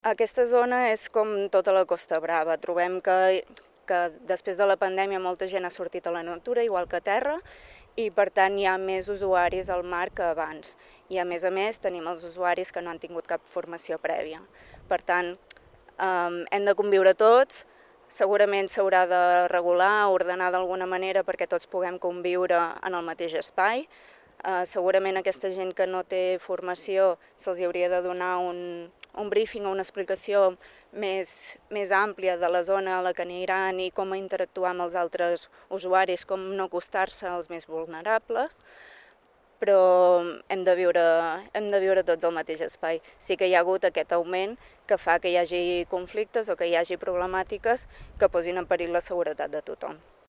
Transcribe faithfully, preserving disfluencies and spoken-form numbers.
Aquesta zona és com tota la Costa Brava. Trobem que, que després de la pandèmia molta gent ha sortit a la natura, igual que a terra, i per tant hi ha més usuaris al mar que abans. I a més a més tenim els usuaris que no han tingut cap formació prèvia. Per tant, eh, hem de conviure tots, segurament s'haurà de regular, ordenar d'alguna manera perquè tots puguem conviure en el mateix espai. Eh, segurament aquesta gent que no té formació se'ls hauria de donar un, un briefing o una explicació més, més àmplia de la zona a la que aniran i com interactuar amb els altres usuaris, com no acostar-se als més vulnerables, però hem de, viure, hem de viure tots al mateix espai. Sí que hi ha hagut aquest augment que fa que hi hagi conflictes o que hi hagi problemàtiques que posin en perill la seguretat de tothom.